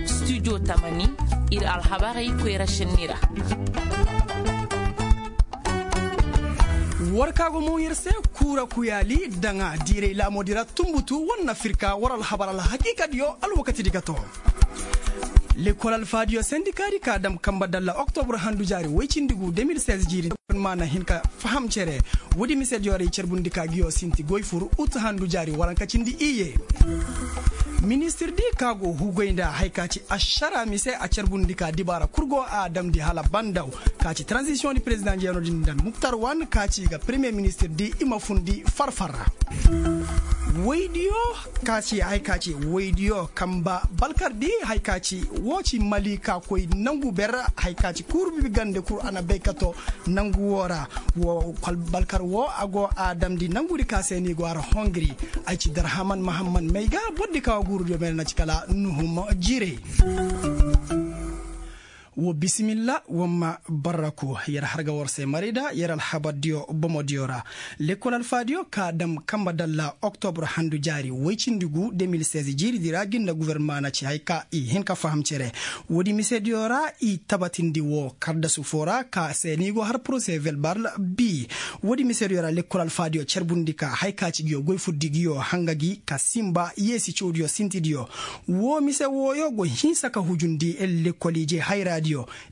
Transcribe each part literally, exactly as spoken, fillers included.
Studio tamani, ir alhabarey koyra šenni ra. War ka go mo yer se, kuura kuyaali daŋa diiray laamoodi ra tunbutu war na firka war alhabar alhakiikadiyo alwakatidi ga to. Lekkol alfaadiyo sendikaadi ka dam kamba dalla oktobur handu jaari woy cindi gu de mil seize jiiri, ma na hin ka faham cere. Woodi misediyo ra i carbundi ka ngiyo sinti goy fur ut handu jaari waranka cindi iyye. Ministirdi ka go hugoy nda haya ka ci ašara mise a carbundi ka dibaara kul go a damndi hala bandaw ka ci taranzisiyoŋ di perezidaŋ jeeno din nda muktar wan ka ci ga peremiye ministirdi i ma fundi farfar ra. Woydiyo ka ci haya ka ci woydiyo kamba balkardi haya ka ci woo ci mali ka koy nangu ber haya ka ci kuurubi gande kul a na bay ka to nangu woo ra. Wo balkar woo a go a damndi nangudi ka se ni go har hongri. Ay ci darhaman mahamman may ga bordi ka wa guurudiyo may na ci kala nuhum jiirey. Wo bisimilla wamma barraku yer har ga war se marayda yer alhabardiyo bomodiyo ra. Lekkol alfaadiyo ka dam kamba dalla oktobur handu jaari woy cindi gu de mil seize jiiridi ra ginda guverma na ci haya ka i hin ka faham cere. Woodi misediyo ra i tabatindi woo kardasu foo ra ka se ni go har porose velbal bi. Woodi misediyo ra lekkol alfaadiyo carbundi ka haya ka ci ngiyo goy furdi ngiyo hanga gi ka sinba yeesi cawdiyo sintidiyo. Woo mise wooyo go hinsa ka hujundi lekkol ije hayraadiyo.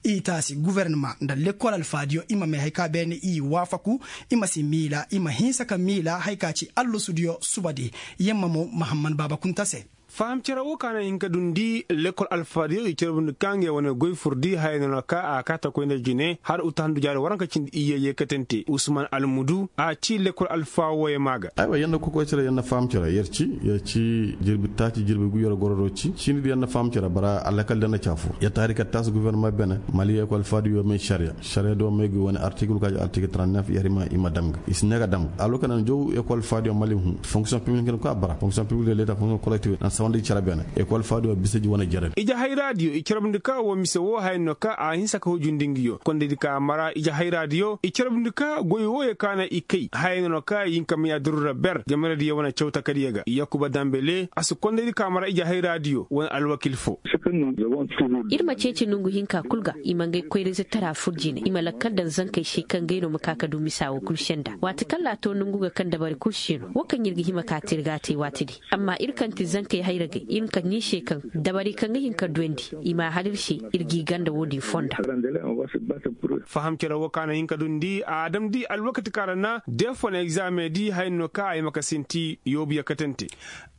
I taasi guvernama nda lekkol alfaadiyo i ma may haya ka beene i waafaku. I ma si miila i ma hinsa ka miila haya ka ci allasudiyo subadi. Yamma mo mahamman baaba kunta se. Faham cere woo ka na hin ka dundi lekkol alfaadiyo i carbundi ka ngey wane goy furdi haya no na ka a kaa ta koy nda jine har uta handu jaari waranka cindi iyye yeekatante usman almudu a ci lekkol alfa wooyo maa ga. Aywa yer na kokoy cere yer na faham cere yer ci yer ci jirbi taaci jirbi gu yer gororo ci ciini di yer na faham cere bara alakal di yer na caa fur yer taari ka taasi guvernama beene mali ekol faadi yoo may sariya sariya di woo may gi wane artikil ka ci artikil trente neuf yer i ma i ma dam ga i si ne ga dam ga alwakati nan jow ekol faadi yoo mali hun fonksiyoŋ piblik hin ka bara fonksiyoŋ piblik de leta fonksiyoŋ kolektif nan sawandi cere beene ekol faadi yoo bisa ji wane jere. Ije hayraadiyo i carabndi ka woo mise woo haya no ka a hinsa ka hujundi ngi yoo kondaydi ka mara ije hayraadiyo i carabndi ka goy wooyo ka na i kay haya no ka i hin ka miya durura ber jamaradiyo wane cawta kadiyo ga yakuba dambele a si kondaydi ka mara ije hayraadiyo wane alwakil foo. Ir ma ceeci nongu hinka kul ga i ma ngay koyra-ize tara fur jine i ma lakkal daŋ zankey se kaŋ gay no ma ka ka du misa wo kul senda waati kaŋ laato nongu ga kaŋ dabari kul se no wo kaŋ ir ga hima ka te ir ga a te waati di. Amma ir kaŋ ti zankey hayragey ir ma ka ni se kaŋ dabari kaŋ ga hin ka duwandi i ma a har ir se. Ir g'i ganda wo-din fonda. Faham cere wo ka na hin ka dundi a damndi alwakati kaŋ ra na deefon egzaameŋ di haya no kaŋ a hima ka sinti yoobu yakkatante.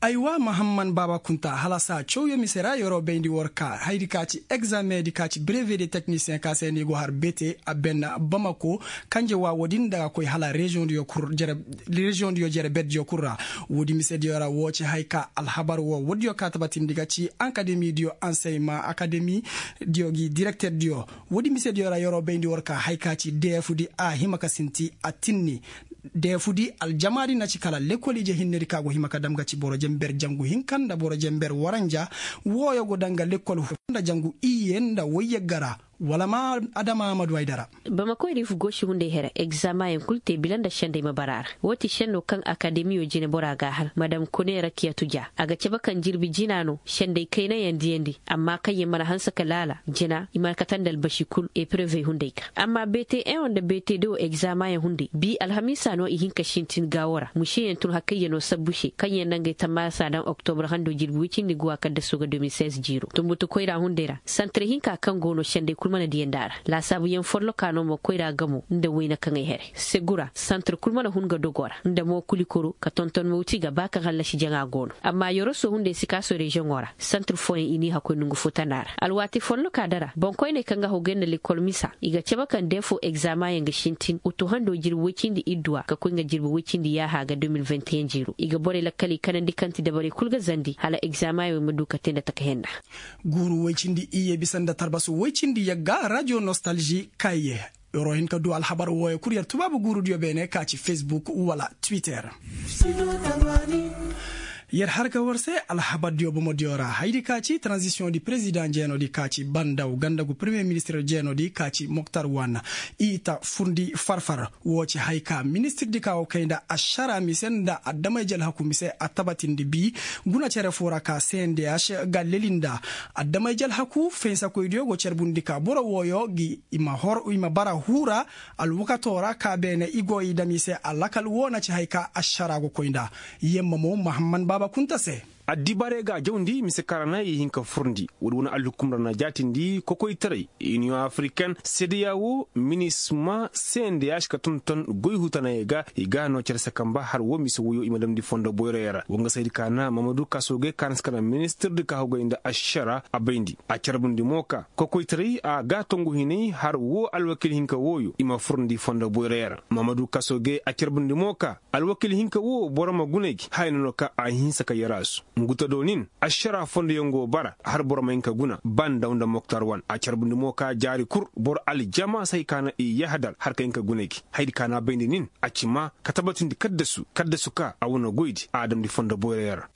Aywa mahamman baaba kunta hala saa cawyo mise ra yeroo bayndi war ka haydi ka ci egzaameŋ di ka ci breve de teknisiyeŋ ka se ni go har bete a ben bamako kanje wa wo-din nda ga koy hala reziyoŋ diyo kul jere reziyoŋ diyo jere berdiyo kul ra. Wo-din mise diyo ra wo ci haya ka alhabar wo wo diyo ka tabatindi ga ci ankademi diyo anseyma akademi diyo gi direkter diyo. Wo-din mise diyo ra yeroo bayndi war ka haya ka ci deefu di a hima ka sinti a tinni. Deefu di aljama di na ci kala lekol ije hinne di ka go hima ka dam ga ci boro jenber jangu hinka nda boro jenber waranja. Wooyo go daŋ ga lekol hu nda jangu iyye nda woy yagga ra. Wala ma adama ma du ay dara. Bamakoy riifu goosi hunday here egzamayaŋ kul te bila nda sendey ma bara a ra. Woo ti senno kaŋ akademiyo jine bora g'a har madam kone rakiyatu ja a ga cabe kaŋ jirbi jina no sendey kaynayaŋ diyandi amma kaŋyaŋ mana hanse ka laala jina i mana kate nda albasi kul eprevey hunday ga. Amma bete eŋo nda bete dewo egzamayaŋ hunday bi alhamiisa no i hin ka sintin gaawo ra museyaŋ tun hakayyanoo sabbu se kaŋyaŋ na ngey tammaasa daŋ oktobur hando jirbi woy cindi guwa kaddasoo ga deux mille seize jiiro tunbutu koyra hunday ra santir hinka kaŋ go no sendey kul mana diyandi a ra. Laasaabuyaŋ folloka no mo koyra gamo nda wayna kaŋay here segura santir kul mana hun ga dogo ra nda mo kulikoro ka tonton mawti ga ba kaŋ hallasi jaŋa go no amma yoroso hunday sikaaso reziyoŋo ra santir fooyaŋ i n'i hakkoy nongu fo tana ra alwaati folloka dara boŋkoyney kaŋ ga hogay nda lekol misa i ga cabe kaŋ deefo egzamayaŋ ga sintin utu hando jirbi woy cindi idduwa ka koy nga jirbi woy cindi yaaha ga deux mille vingt et un jiiro i ga borey lakkaley kanandi kaŋ ti dabarey kul ga zandi hala egzamayaŋ wey ma du ka te nda taka henna. Guuru woy cindi iyye bisa nda tarbasu woy cindi yagga radio nostalgie kayye. Yeroo hin ka du alhabar wooyo kul yer tubaabu guurudiyo beene ka ci facebook wala twitter. Yer har ga war se alhabardiyo bomodiyo ra haydi ka ci taranzisiyoŋ di perezidaŋ jeenodi ka ci bandaw ganda gu peremiye ministir jeenodi ka ci moktar wan, i ta furndi farfar. Woo ci hay ka ministirdi ka go kay nda ašara mise nda adamay jalhaku mise a tabatindi bi guna cere foo ra ka cndh ga leli nda adamay jalhaku fensakoydiyo go carbundi ka boro wooyo gi i ma bara huu ra. Alwakatoo ra ka beene i go i dam i se alakal woo na ci hay ka ašara go koy nda. Yemma mo mahamman baaba kunta se. Addibaarey ga a jawndi mise kaŋ ra na i hin ka furndi woodi wane alhukum ra na jaatindi kokoytaray, iniyoŋ afriken, sedeya woo, minisma, cndh ka tonton goy hutanayey ga i ga no cere se kamba har woo mise woyoo i ma damndi fondo boyroyoo ra wa nga saydi ka na mamadu kasoogey ka na si ka na ministirdi ka hogey nda ašara a bayndi a carbundi mo ka kokoytaray a ga tongu hinay har woo alwakiil hinka wooyo i ma furndi fondo boyroyoo ra mamadu kasoogey a carbundi mo ka alwakiil hinka woo boro ma guna gi haya no no ka a hinsa ka yaraasu. Nguta do nin ašara fondoyaŋ go bara har boro ma hin ka guna ba ndaw nda moktar wan a carbundi mo ka jaari kul boro aljama si hay ka na i yahadar har ka hin ka guna gi hayadi ka na a bayndi nin a ci maa ka tabatindi kaddasu kaddasu ka a wane goydi a damndi fondo boyroyoo ra.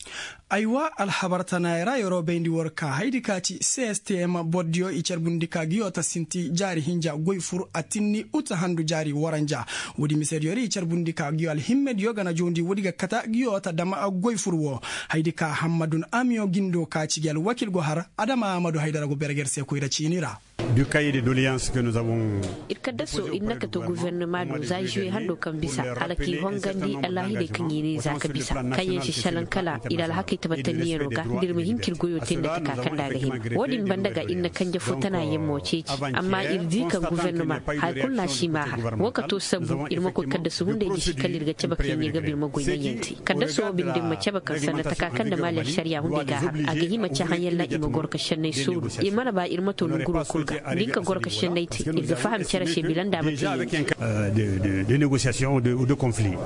Aywa alhabar tanaayoo ra yeroo bayndi war ka hayadi ka ci cstm bordiyo i carbundi ka ngiyo ta sinti jaari hinja goy fur a tinni uta handu jaari waranja. Woodi misediyo ra i carbundi ka ngiyo alhimmediyo ga na jawndi woodi ga kata ngiyo ta dam goy fur woo. Hayadi ka hammadun amiyo gindo ka ci gi alwakiil go har adama ahamadu haydara go berger se koyra ciini ra. Ir kaddasoo ir na kate gufernema do za žuwe handoo kaŋ bisa hala k'i hongandi alaahidey kaŋ i ne za ka bisa kaŋyaŋ si šelaŋ kala ir alhakey tabatandiyanoo ga nda ir ma hin k'ir goyoo te nda taka kaŋ nda a ga hima. Woo din banda ga ir na kanje fo tana yammo ceeci amma ir di kaŋ gufernema haya kul no a si maahar woo ka too sambu ir ma koy kaddasu hunday gisi kala ir ga cabe kaŋ ir ga ba ir ma goy naŋyaŋ te. Kaddasu woo binde ma cabe kaŋ sanda taka kaŋ nda maali ašariya hunday ga a har a ga hima cahãyaŋ ra i ma goro ka šennay sooru. Ir mana ba ir ma too nonguroo kul ga da ir ka goro ka šennay te ir ga faham cere se bila nda a ma te yee.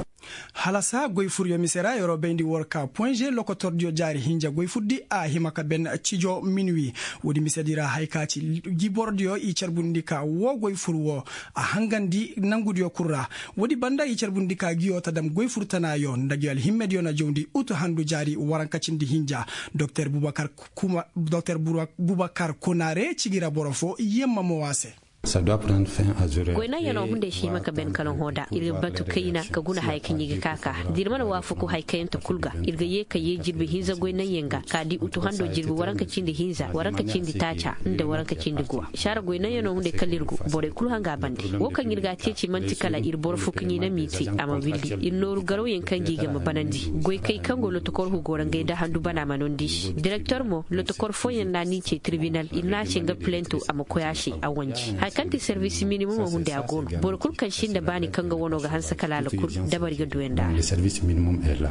Halasa goy furyo mise ra yeroo bayndi war ka poinže lokotordiyo jaari hinja goy furdi a hima ka ben cijo minwi. Woodi misedi ra haya ka ci jibordiyo i carbundi ka woo goy fur woo a hangandi nangudiyo kul ra. Woodi banda i carbundi ka ngiyo ta dam goy fur tanaayo nda ngi alhimmediyo na jawndi utu handu jaari waranka cindi hinja. Doktor bubakar kunare ci gi ra boro foo yemma mo a se. Goy naŋyanoo hunday si hima ka ben kala hõ da ir ga batu kayna ka guna haya kaŋ i ga ka ka da ir mana waafaku haya kaŋ yaŋ ta kul ga ir ga yee ka yee jirbi hinza goy naŋyaŋ ga ka di utu hando jirbi waranka cindi hinza waranka cindi taaca nda waranka cindi guwa. Saara goy naŋyanoo hunday kala ir go borey kul hanga a bande woo kaŋ ir ga a ceeci man'ti kala ir boro fo kaŋ i na m'i te a ma willi ir nooru garawyaŋ kaŋ ga i ga ma banandi goykey kaŋ go lotokor hugo ra ngey nda handu bana ma nondi se direktor mo lotokor fooyaŋ na ni ce tirbinal ir na a se nga pilento a ma koy a se a wanji haya kaŋ ti servis minimum hunday a go no boro kul kaŋ sinda baani kaŋ ga wano ga hanse kala alkul dabari ga duw'ey nda a ra.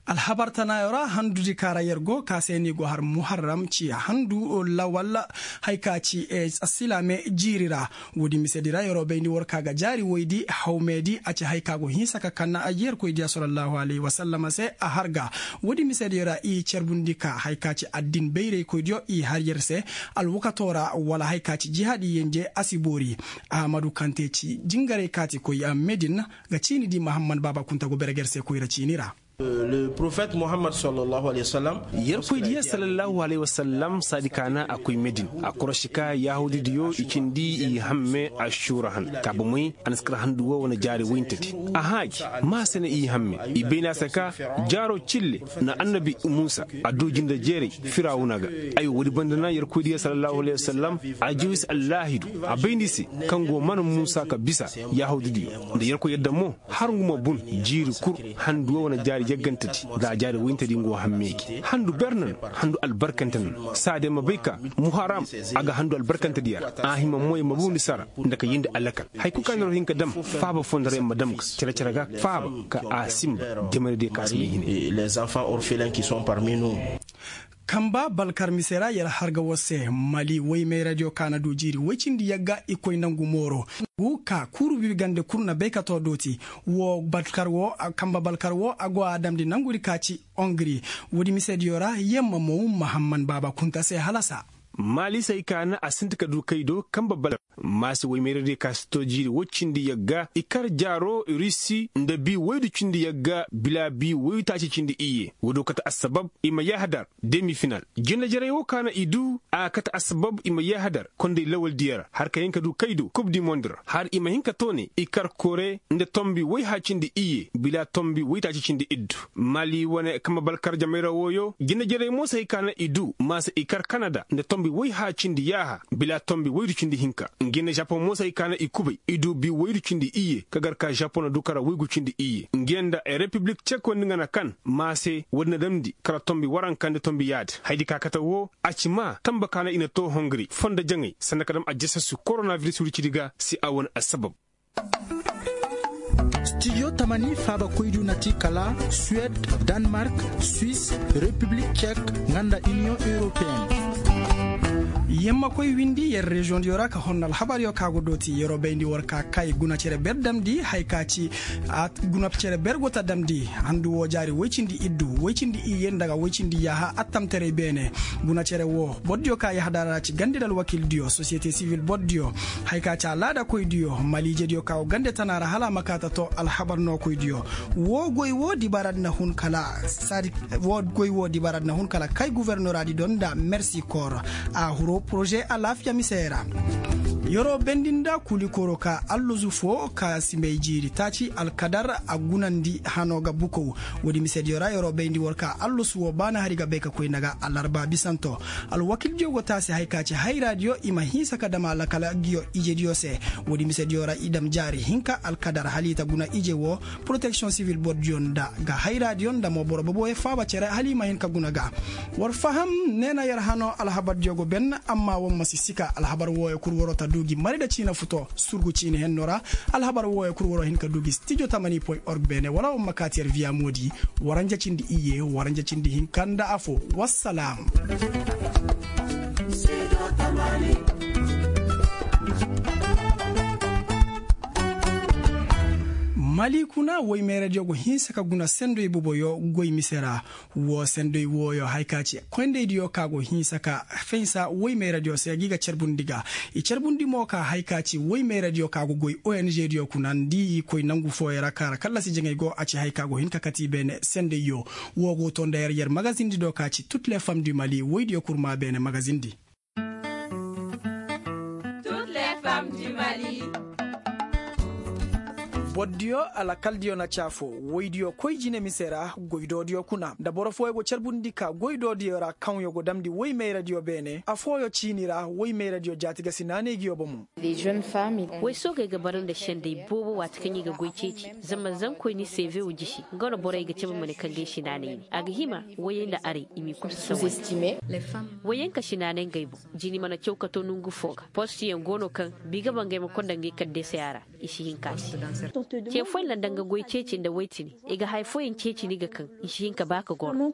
Alhabar tanaayoo ra handudi ka ra yer go ka se ni go har muharram ci handu lawal haya ka ci assilaame jiiri ra. Woodi misedi ra yeroo bayndi war ka ga jaari woydi hawmeedi a ci haya ka go hinsa ka kan yerkoydiya sallallahu alayhi wa sallama se a har ga. Woodi misediyo ra i carbundi ka haya ka ci addin bayraykoydiyo i har yer se alwakatoo ra wala haya ka ci jihaadi yenje a si boori. Ahamadu kaŋ te ci jingaray kaati koy medin ga ciini di mahammad baaba kunta go bere ga yer se koyra ciini ra. Yerkoy diya sallallahu alayhi wasallam saadi ka na a koy medin a korosi ka yahuudi diyo i cindi i hamme a suura han ka bomey a na si kar handu wo wane jaari woyintedi. A haaji ma se na i hamme i bayna se ka jaaro cille na annabi muusa a du jinde jeeray firawuna ga. Ay woodi banda na yerkoy diya sallallahu alayhi wasallam a jawis allaahidu a bayndi se kaŋ go mana muusa ka bisa yahuudi diyo nda yerkoy yadda mo har ngu ma bun jiiri kul handu wo wane jaari yaggantedi nda a jaari woyintedi ngu wo hammey gi handu ber na no handu albarkante na no saadiya ma bay ka muharam a ga handu albarkantediya ra a hima moy ma bundi sara nda ka yindi alakal. Haya kul ka na ro hin ka dam faaba fondo ra yer ma dam ga cere-cere ga faaba ka a sinba jamanediyo ka si may hine. Kamba balkar mise ra yer har ga war se mali woy mayradiyo ka na du jiiri woy cindi yagga i koy nangu mooro. Ngu ka kuuru bibi gande kul na baykatoo dooti. Woo balkar woo kamba balkar woo a go a damndi nangudi ka ci ongri. Woodi misediyo ra yemma mow mahamman baaba kunta se halasa. Maali se hay ka na a sinti ka du kaydo kambe bala. Maase woy meeradiyo ka si to jiiri woy cindi yagga i kar jaaro rusi nda bii woydu cindi yagga bila bii woytaaci cindi iyye. Woodiyo kate assabab i ma yaahadar demi final. Jinajarey woo ka na i du a kate assabab i ma yaahadar konday lawaldiyo ra har ka hin ka du kaydo kub di mond ra har i ma hin ka to ne i kar kore nda tombi woyha cindi iyye bila tombi woytaaci cindi iddu. Maali wane kambe balkar jamey ra wooyo jinajarey mo se hay ka na i du maase i kar kanada nda tombi woyha cindi yaaha bila tombi woydu cindi hinka. Nge nda žapoŋ mo se hay ka na i kubay i du bii woydu cindi iyye ka gar ka žapoŋ na du kara woygu cindi iyye nge nda repiblik cek wandi nga na kan maase woodi na damndi kara tombi waranka nda tombi yaadi haydi ka kate woo. A ci maa tanba ka na i na too hongri fondo jaŋay sanda ka dam ajasasu koronaviris wuri cidi ga si a wane assabab. Stijo tamani faabakoydu na ti kala suwed, danmark, swis, repiblik cek, nga nda iniyoŋ europeyen. Yer ma koy windi yer reziyoŋdiyo ra ka honna alhabaryo ka go dooti yeroo bayndi war ka kay guna cere ber damndi haya ka ci guna cere ber go ta damndi handu woo jaari woy cindi iddu woy cindi iyye nda ga woy cindi yaaha attamtaray beene. Guna cere woo bordiyo ka yahadara ra ci gandi nda alwakildiyo sosiyete sivil bordiyo haya ka ci alaadakoydiyo maliijediyo ka go gande tana ra hala a ma kaa ta too alhabar nookoydiyo. Woo goy woo dibaaradi na hun kala saadi woo goy woo dibaaradi na hun kala kay guvernoraadi do nda mersi kor. A huru poroze alaafiya misey ra. Yeroo bendi nda kuulikoroo ka allosu foo ka si may jiiri taaci alkadar a gunandi hanoo ga bukow. Woodi misediyo ra yeroo bayndi war ka allosu woo ba na hari ga bay ka koy nda ga alarba bisanto. Alwakildiyo go taasi hay ka ci hayraadiyo i ma hinsa ka dam a lakal ngiyo ijediyo se. Woodi misediyo ra i dam jaari hinka alkadar hala i ta guna ije woo. Poroteksiyoŋ sivil bordiyo nda ga hayraadiyo nda mo boro boboyo faaba cere hala i ma hin ka guna ga. War faham nee na yer hanoo alhabardiyo go ben. Amma war ma si sika alhabar wooyo kul waroo ta duu gi mari nda ciina futo surgu ciini hennoo ra. Alhabar wooyo kul waroo hin ka duu gi stijo tamani point org beene wala war ma kaati yer viya moodi. Waranja cindi iyye waranja cindi hinka nda afo. Wassalaam. Mali kuna woy meeradiyo go hinsa ka guna sendoy boboyo goy mise ra. Woo sendoy wooyo haya ka ci koyndaydiyo ka go hinsa ka fensa woy meeradiyo se gi ga carbundi ga. I carbundi mo ka haya ka ci woy meeradiyo ka go goy ongdiyo kuna nda i koy nangu fooyo ra ka ra kallasi jaŋay go a ci haya ka go hin ka kati i beene sendayyo. Woo go too nda yer yer magazindi do ka ci tut le fam di mali woydiyo kul maa beene magazindi. Bordiyo alakaldiyo na ci afoo woydiyo koy jine mise ra goydoodiyo kuna nda boro fooyo go carbundi ka goydoodiyo ra kaŋyo go damndi woy mayradiyo beene afooyo ciini ra woy mayradiyo jaati ga si naanay ngiyo bomo. Woy soogey ga bara nda senday boobo waati kaŋ i ga goy ceeci. Zama zankoy ni seevew jisi nga no borey ga cabe ma ne kaŋ ga ay si naanay ne a ga hima woyey nda aray i m'i kul si sawa. Woyey ka si naanay ngey boŋ. Jini mana caw ka to nongu fo ga postiyaŋ go no kaŋ bi ga bangay ma konda ngey kaddesey a ra. I si hin ka se ce fooyaŋ ra nda nga goy ceeci nda woy tini i ga haya fooyaŋ ceeci ni ga kaŋ i si hin ka ba ka goro.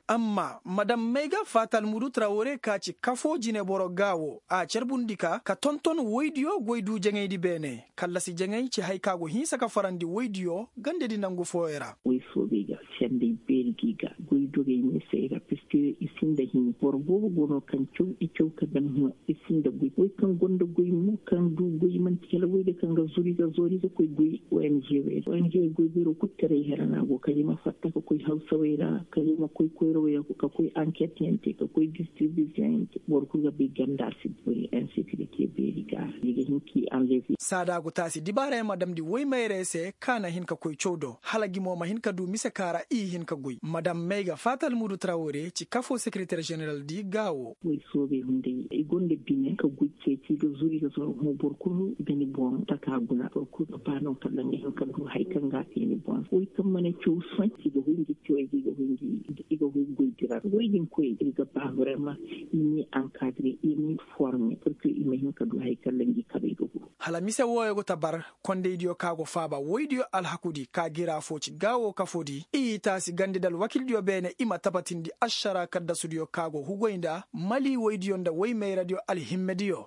Amma madam mayga fatal mudu trawore ka ci kafo jineboro ga wo a carbundi ka ka tonton woydiyo goy du jaŋaydi beene. Kallasi jaŋay ci hay ka go hinsa ka farandi woydiyo gandedi nangu fooyo ra. Woy soobey ga senday beeri gi ga goy dogey meesey ra piske i sinda hini boro boobo go no kaŋ caw i caw ka daŋ hima i sinda goy woy kaŋ gonda goy mo kaŋ du goy manti kala woy de kaŋ ga zuru i ga zoori i ga koy goy. Ong wey ong goy beero kul taray hera no a go kala i ma fatta ka koy hawsawey ra kala i ma koy koyrawey ra ka koy anket yaŋ te ka koy distribisiyoŋ yaŋ te boro kul ga bay ganda si bori insekirite beeri ga i ga hin k'i anleve. Saada go taasi dibaarayaŋ ma damndi woy mayrey se ka na hin ka koy caw do hala gi mo ma hin ka du mise ka ra i hin ka goy madam mayga fatal mudu trawore ci kafo sekiriter ženeraldi ga wo. Woy soobey hunday i gonda bine ka goy ceeci i ga zuru i ga zuru hõ boro kulu ga ni boŋ taka guna boro kulu ga ba no kala nga hin ka du hari kaŋ ga a te ni boŋ woy kaŋ mana caw sohõ i ga hoy ngi cawey ga i ga hoy ngi i ga hoy goy dira woy din koy i ga ba vraiment i ni ankadre i ni forme purke i ma hin ka du hari kaŋ ra ngi kabey ga guru. Hala mise wooyo go ta bar kondaydiyo ka go faaba woydiyo alhakudi ka gira fo ci gaawo kafodi i taasi gandi nda alwakildiyo beene i ma tabatindi ašara kaddasudiyo ka go hugoy nda mali woydiyo nda woy mayradiyo alhimmediyo.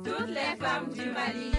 Toutes les femmes du mali.